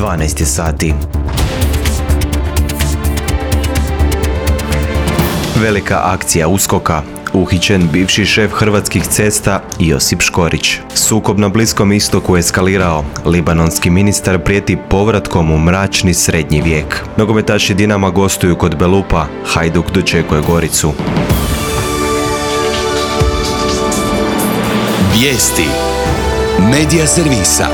12 sati. Velika akcija USKOK-a. Uhićen bivši šef Hrvatskih cesta Josip Škorić. Sukob na Bliskom istoku eskalirao. Libanonski ministar prijeti povratkom u mračni srednji vijek. Nogometaši Dinama gostuju kod Belupa. Hajduk dočekuje Goricu. Vijesti Medija servisa.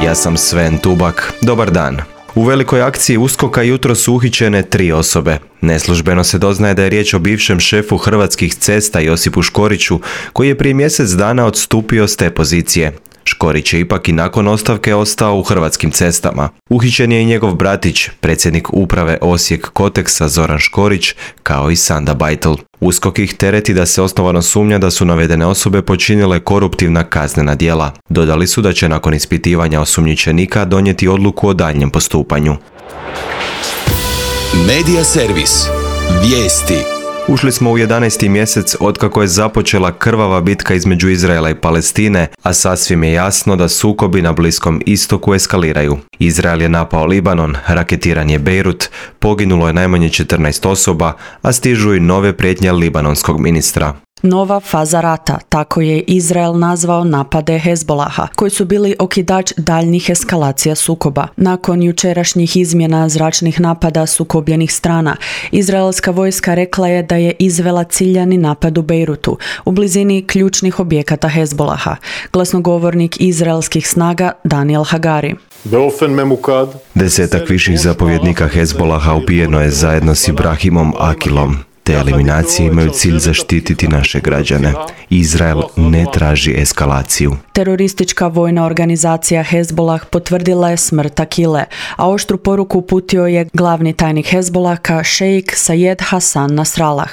Ja sam Sven Tubak. Dobar dan. U velikoj akciji USKOK-a jutro su uhićene 3 osobe. Neslužbeno se doznaje da je riječ o bivšem šefu Hrvatskih cesta Josipu Škoriću, koji je prije mjesec dana odstupio s te pozicije. Škorić je ipak i nakon ostavke ostao u Hrvatskim cestama. Uhićen je i njegov bratić, predsjednik uprave Osijek Koteksa Zoran Škorić, kao i Sanda Bajtl. USKOK ih tereti da se osnovano sumnja da su navedene osobe počinile koruptivna kaznena djela. Dodali su da će nakon ispitivanja osumnjičenika donijeti odluku o daljnjem postupanju. Medija servis. Vijesti. Ušli smo u 11. mjesec otkako je započela krvava bitka između Izraela i Palestine, a sasvim je jasno da sukobi na Bliskom istoku eskaliraju. Izrael je napao Libanon, raketiran je Bejrut, poginulo je najmanje 14 osoba, a stižu i nove prijetnje libanonskog ministra. Nova faza rata, tako je Izrael nazvao napade Hezbolaha, koji su bili okidač daljnjih eskalacija sukoba. Nakon jučerašnjih izmjena zračnih napada sukobljenih strana, izraelska vojska rekla je da je izvela ciljani napad u Bejrutu, u blizini ključnih objekata Hezbolaha. Glasnogovornik izraelskih snaga Daniel Hagari. 10 viših zapovjednika Hezbolaha ubijeno je zajedno s Ibrahimom Akilom. Te eliminacije imaju cilj zaštititi naše građane. Izrael ne traži eskalaciju. Teroristička vojna organizacija Hezbolah potvrdila je smrt Akile, a oštru poruku uputio je glavni tajnik Hezbolaha šejk Sayed Hasan Nasrallah.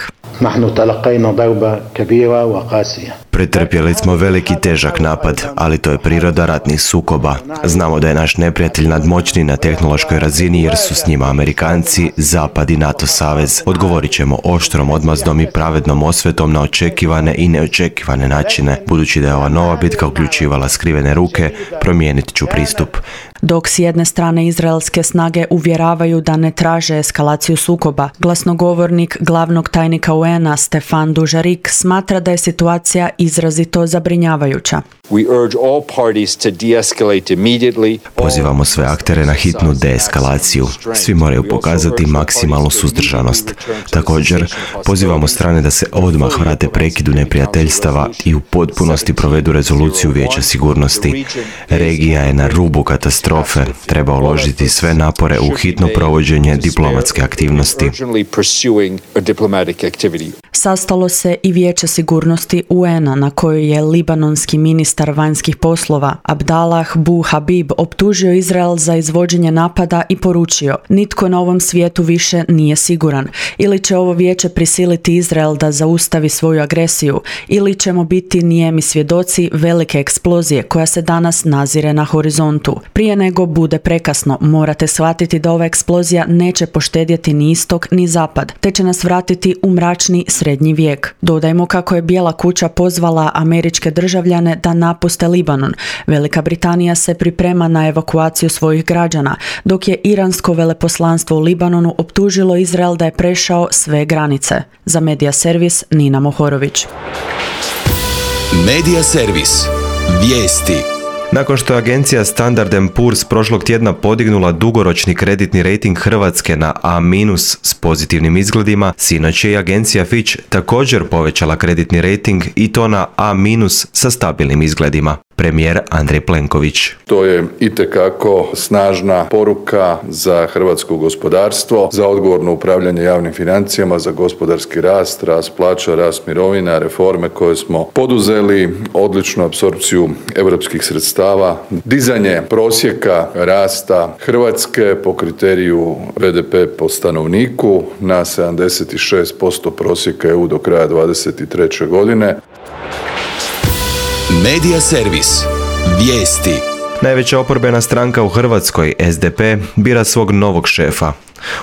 Pretrpjeli smo veliki težak napad, ali to je priroda ratnih sukoba. Znamo da je naš neprijatelj nadmoćniji na tehnološkoj razini jer su s njima Amerikanci, Zapad i NATO savez. Odgovorit ćemo oštrom odmazdom i pravednom osvetom na očekivane i neočekivane načine. Budući da je ova nova bitka uključivala skrivene ruke, promijenit ću pristup. Dok s jedne strane izraelske snage uvjeravaju da ne traže eskalaciju sukoba, glasnogovornik glavnog tajnika UN-a Stefan Dujarric smatra da je situacija izrazito zabrinjavajuća. Pozivamo sve aktere na hitnu deeskalaciju. Svi moraju pokazati maksimalnu suzdržanost. Također, pozivamo strane da se odmah vrate prekidu neprijateljstava i u potpunosti provedu rezoluciju Vijeća sigurnosti. Regija je na rubu katastrofe. Treba uložiti sve napore u hitno provođenje diplomatske aktivnosti. Sastalo se i Vijeće sigurnosti UN-a na kojoj je libanonski ministar vanjskih poslova Abdallah Bu Habib optužio Izrael za izvođenje napada i poručio: nitko na ovom svijetu više nije siguran. Ili će ovo vijeće prisiliti Izrael da zaustavi svoju agresiju, ili ćemo biti nijemi svjedoci velike eksplozije koja se danas nazire na horizontu. Prije nego bude prekasno, morate shvatiti da ova eksplozija neće poštedjeti ni istok ni zapad, te će nas vratiti u mračni srednji vijek. Dodajmo kako je Bijela kuća pozvala američke državljane da napuste Libanon. Velika Britanija se priprema na evakuaciju svojih građana, dok je iransko veleposlanstvo u Libanonu optužilo Izrael da je prešao sve granice. Za Medija servis Nina Mohorović. Medija servis. Vijesti. Nakon što je agencija Standard & Poor's prošlog tjedna podignula dugoročni kreditni rejting Hrvatske na A- s pozitivnim izgledima, sinoć je i agencija Fitch također povećala kreditni rejting i to na A- sa stabilnim izgledima. Premijer Andrej Plenković. To je itekako snažna poruka za hrvatsko gospodarstvo, za odgovorno upravljanje javnim financijama, za gospodarski rast, rast plaća, rast mirovina, reforme koje smo poduzeli, odličnu apsorpciju europskih sredstava, dizanje prosjeka rasta Hrvatske po kriteriju BDP po stanovniku na 76% prosjeka EU do kraja 2023. godine. Medija servis. Vijesti. Najveća oporbena stranka u Hrvatskoj, SDP, bira svog novog šefa.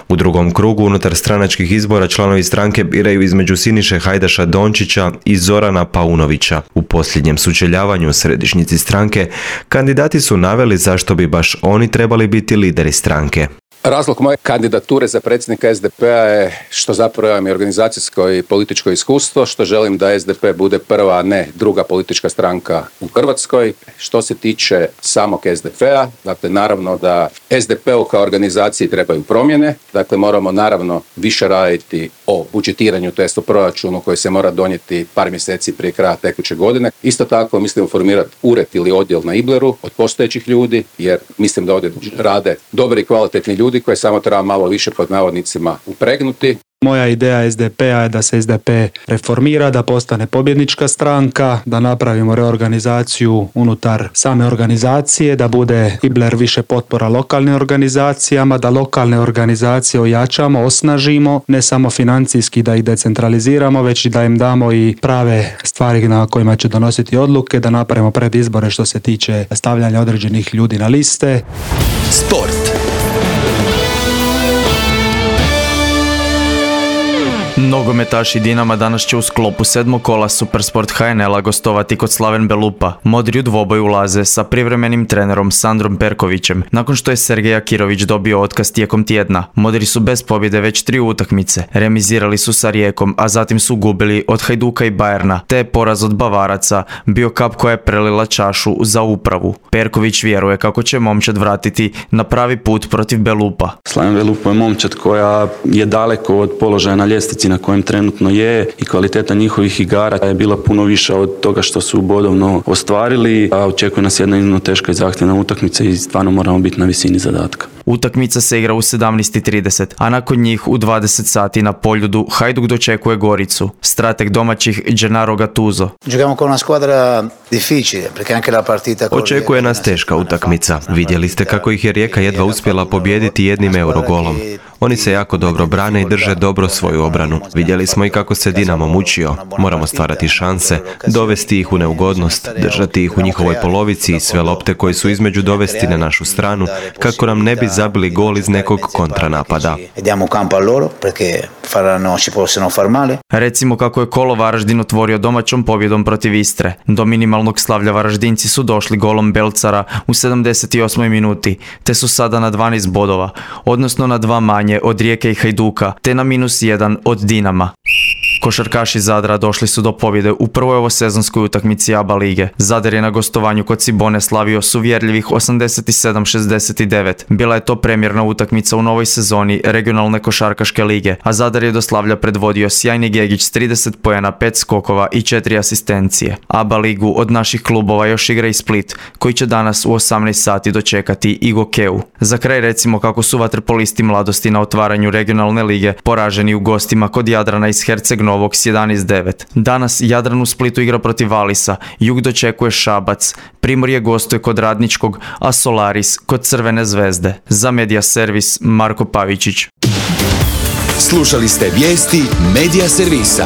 U drugom krugu unutar stranačkih izbora članovi stranke biraju između Siniše Hajdaša Dončića i Zorana Paunovića. U posljednjem sučeljavanju u središnjici stranke kandidati su naveli zašto bi baš oni trebali biti lideri stranke. Razlog moje kandidature za predsjednika SDP-a je što zapravo imam i organizacijsko i političko iskustvo, što želim da SDP bude prva, a ne druga politička stranka u Hrvatskoj. Što se tiče samog SDP-a, dakle naravno da SDP-u kao organizaciji trebaju promjene, dakle moramo naravno više raditi o budžetiranju, to jest o proračunu koji se mora donijeti par mjeseci prije kraja tekuće godine. Isto tako mislim formirati ured ili odjel na Ibleru od postojećih ljudi, jer mislim da ovdje rade dobri i kvalitetni ljudi koje samo treba malo više pod navodnicima upregnuti. Moja ideja SDP-a je da se SDP reformira, da postane pobjednička stranka, da napravimo reorganizaciju unutar same organizacije, da bude Ibler više potpora lokalnim organizacijama, da lokalne organizacije ojačamo, osnažimo, ne samo financijski da ih decentraliziramo, već i da im damo i prave stvari na kojima će donositi odluke, da napravimo predizbore što se tiče stavljanja određenih ljudi na liste. Sport. Nogometaši Dinama danas će u sklopu 7. kola Supersport HNL-a gostovati kod Slaven Belupa. Modri u dvoboj ulaze sa privremenim trenerom Sandrom Perkovićem, nakon što je Sergej Akirović dobio otkaz tijekom tjedna. Modri su bez pobjede već 3 utakmice, remizirali su sa Rijekom, a zatim su gubili od Hajduka i Bayerna, te je poraz od Bavaraca bio kap koja je prelila čašu za upravu. Perković vjeruje kako će momčad vratiti na pravi put protiv Belupa. Slaven Belupa je momčad koja je daleko od položaja na ljestvici na kojem trenutno je i kvaliteta njihovih igara je bila puno viša od toga što su bodovno ostvarili, a očekuje nas jedna iznimno teška i zahtjevna utakmica i stvarno moramo biti na visini zadatka. Utakmica se igra u 17:30, a nakon njih u 20 sati na Poljudu Hajduk dočekuje Goricu. Strateg domaćih Gennaro Gattuso. Očekuje nas teška utakmica. Vidjeli ste kako ih je Rijeka jedva uspjela pobijediti jednim Eurogolom. Oni se jako dobro brane i drže dobro svoju obranu. Vidjeli smo i kako se Dinamo mučio. Moramo stvarati šanse, dovesti ih u neugodnost, držati ih u njihovoj polovici i sve lopte koje su između dovesti na našu stranu, kako nam ne bi zabili gol iz nekog kontranapada. Recimo kako je kolo Varaždin otvorio domaćom pobjedom protiv Istre. Do minimalnog slavlja Varaždinci su došli golom Belcara u 78. minuti, te su sada na 12 bodova, odnosno na 2 manje od Rijeke i Hajduka, te na -1 od Dinama. Košarkaši Zadra došli su do pobjede u prvoj ovosezonskoj utakmici ABA lige. Zadar je na gostovanju kod Cibone slavio s uvjerljivih 87-69. Bila je to premjerna utakmica u novoj sezoni regionalne košarkaške lige, a Zadar je do slavlja predvodio sjajni Gegić s 30 poena, 5 skokova i 4 asistencije. ABA ligu od naših klubova još igra i Split, koji će danas u 18 sati dočekati i Gokeu. Za kraj recimo kako su vaterpolisti Mladosti na otvaranju regionalne lige poraženi u gostima kod Jadrana iz Herceg Novog s 11-9. Danas Jadran u Splitu igra protiv Valisa, Jug dočekuje Šabac, Primorje gostuje kod Radničkog, a Solaris kod Crvene zvezde. Za Media Servis Marko Pavičić. Slušali ste vijesti Media Servisa.